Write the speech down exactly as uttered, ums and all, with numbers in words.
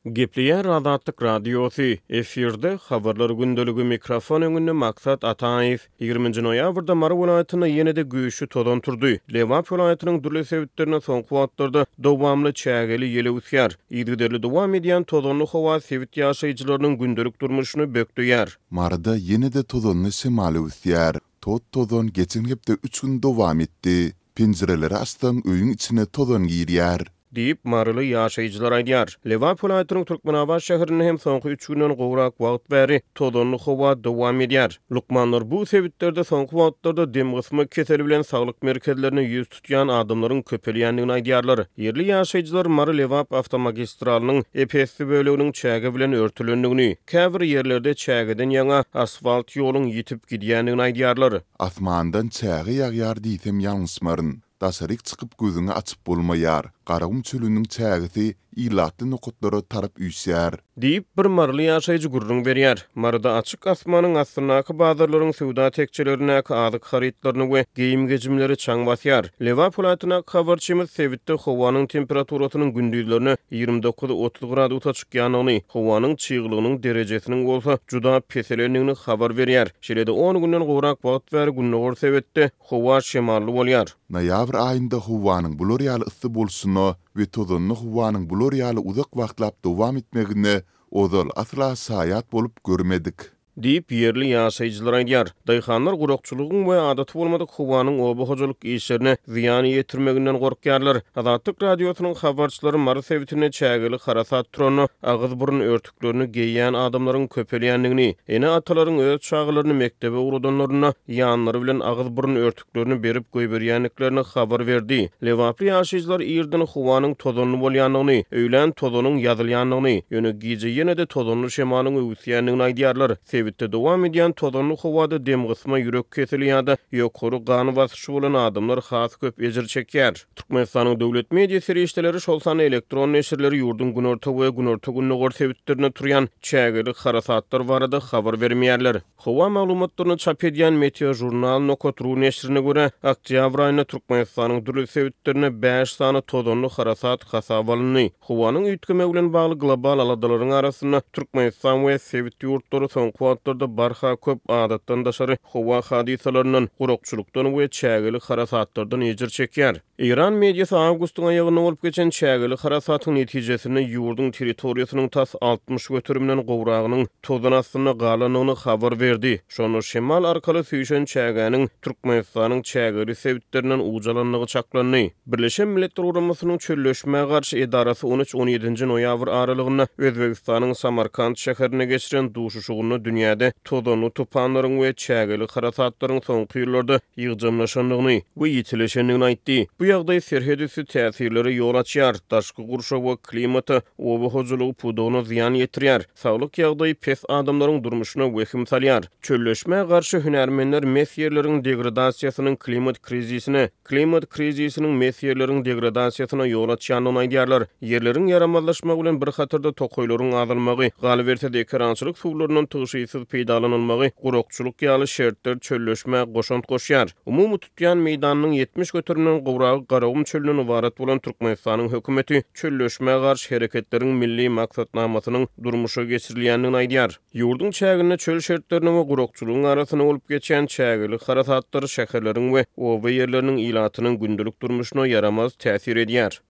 Gepleýär Azatlyk Radiosy, efirde Habarlar gündeligi, mikrofon öňünde Maksat Ataýew. Ýigriminji noýabrda Mary welaýatynda ýene-de güýçli tozan turdy. Lebap welaýatynyň dürli sebitlerinde soňky wagtlarda dowamly çägeli ýel öwüsýär. Yzygiderli dowam edýän tozanly howa sebit ýaşaýjylarynyň gündelik durmuşyny bökdeýär. Maryda ýene-de tozanly şemal öwüsýär. Tot-tozan geçen hepde üç gün dowam etdi. Penjireleri açsaň, öýüň içine tozan girýär. Diýip, maryly ýaşaýjylar aýdýar. Lebap welaýatynyň Türkmenabat şäherinde hem soňky üç günden gowrak wagt bäri tozanly howa dowam edýär. Lukmanlar bu sebitlerde soňky wagtlarda demgysma keseli bilen saglyk merkezlerine ýüz tutýan adamlaryň köpelýändigini aýdýarlar. Ýerli ýaşaýjylar Mary-Lebap awtomagistralynyň ep-esli böleginiň çäge bilen örtülendigini, käbir ýerlerde çägeden ýaňa asfalt ýoluň ýitip gidýändigini aýdýarlar. Asmandan çäge ýagýar diýsem ýalňyşmaryn. Daşaryk çykyp gözüňi açyp bolmaýar. Garagum çölüniň çägesi ilatly nokatlara tarap üýşýär. Diýip, bir maryly ýaşaýjy gürrüň berýär. Maryda açyk asmanyň astyndaky bazarlaryň söwda tekjelerindäki azyk harytlaryny we geýim-gejimleri çaň basýar. Lebap welaýatyndaky habarçymyz sebitde howanyň temperaturasynyň gündizlerine ýigrimi dokuz-otuz gradusa çykýandygyny, howanyň çyglygynyň derejesiniň bolsa juda peselendigini habar berýär. Şeýle-de on günden gowrak wagt bäri gündogar sebitde howa şemally bolýar. Noýabr aýynda howanyň bular ýaly yssy bolşuna we tozanly howanyň bular ýaly uzak wagtlap dowam etmegine ozal asla şaýat bolup görmedik. Diýip, ýerli ýaşaýjylar aýdýar. Daýhanlar gurakçylygyň we adaty bolmadyk howanyň oba hojalyk işlerine zyýan ýetirmeginden gorkýarlar. Azatlyk Radiosynyň habarçylary Mary sebitinde çägeli harasat turanda agyz-burun örtüklerini geýýän adamlaryň köpelýändigini, ene-atalaryň öz çagalaryny mekdebe ugradanlarynda ýanlary bilen agyz-burun örtüklerini berip goýberýändiklerini habar berdi. Lebaply ýaşaýjylar irden howanyň tozanly bolýandygyny, öýlän tozanyň ýazylýandygyny, ýöne gije ýene-de tozanly şemalyň öwüsýändigini aýdýarlar. Sebitde dowam edýän tozanly howada demgysma, ýürek keseli ýa-da ýokary gan basyşy bolan adamlar has köp ejir çekýär. Türkmenistanyň döwlet media serişdeleri, şol sanda elektron neşirleri ýurduň günorta we günorta-gündogar sebitlerinde turýan çägeli harasatlar barada habar bermeýärler. Howa maglumatlaryny çap edýän Meteojurnal nokat ru neşirine görä, oktýabr aýynda Türkmenistanyň dürli sebitlerinde bäş sany tozanly harasat hasaba alyndy. Howanyň üýtgemegi bilen bagly global aladalaryň arasynda Türkmenistan we sebit ýurtlary soňky wagtlarda barha köp adatdan daşary howa hadysalaryndan, gurakçylykdan we çägeli harasatlardan ejir çekýär. Eýran mediasy awgustyň aýagynda bolup geçen çägeli harasatyň netijesinde ýurduň territoriýasynyň tas altmyş göterimden gowragynyň tozan astynda galandygyny habar berdi. Şonda şemal arkaly süýşen çägäniň Türkmenistanyň çägeli sebitlerinden ucalandygy çaklandy. Birleşen Milletler Guramasynyň çölleşmä garşy edarasy on üç on ýedinji noýabr aralygynda Özbegistanyň Samarkand şäherinde geçiren duşuşygynda dünýäde tozanly tupanlaryň we çägeli harasatlaryň soňky ýyllarda ýygjamlaşandygyny we ýitileşendigini aýtdy. Bu ýagdaý serhet üsti täsirlere ýol açýar, daşky gurşawa, klimata, oba hojalygy pudagyna zyýan ýetirýär, saglyk ýagdaýy pes adamlaryň durmuşyna wehim salýar. Çölleşmä garşy hünärmenler mes ýerleriň degradasiýasynyň klimat krizisine, klimat krizisiniň mes ýerleriň degradasiýasyna ýol açýandygyny aýdýarlar. Ýerleriň ýaramazlaşmagy bilen bir hatarda tokaýlaryň azalmagy, galyberse-de ekerançylyk suwlaryndan tygşytsyz peýdalanylmagy, gurakçylyk ýaly şertler çölleşmä goşant goşýar. Umumy tutýan meýdanynyň ýetmiş göterimden gowragy Garagum çölünden ybarat bolan Türkmenistanyň hökümeti çölleşmä garşy hereketleriň milli maksatnamasynyň durmuşa geçirilýändigini aýdýar. Ýurduň çäginde çöl şertleriniň we gurakçylygyň arasynda bolup geçýän çägeli harasatlar şäherleriň we oba ýerleriniň ilatynyň gündelik durmuşyna ýaramaz täsir edýär.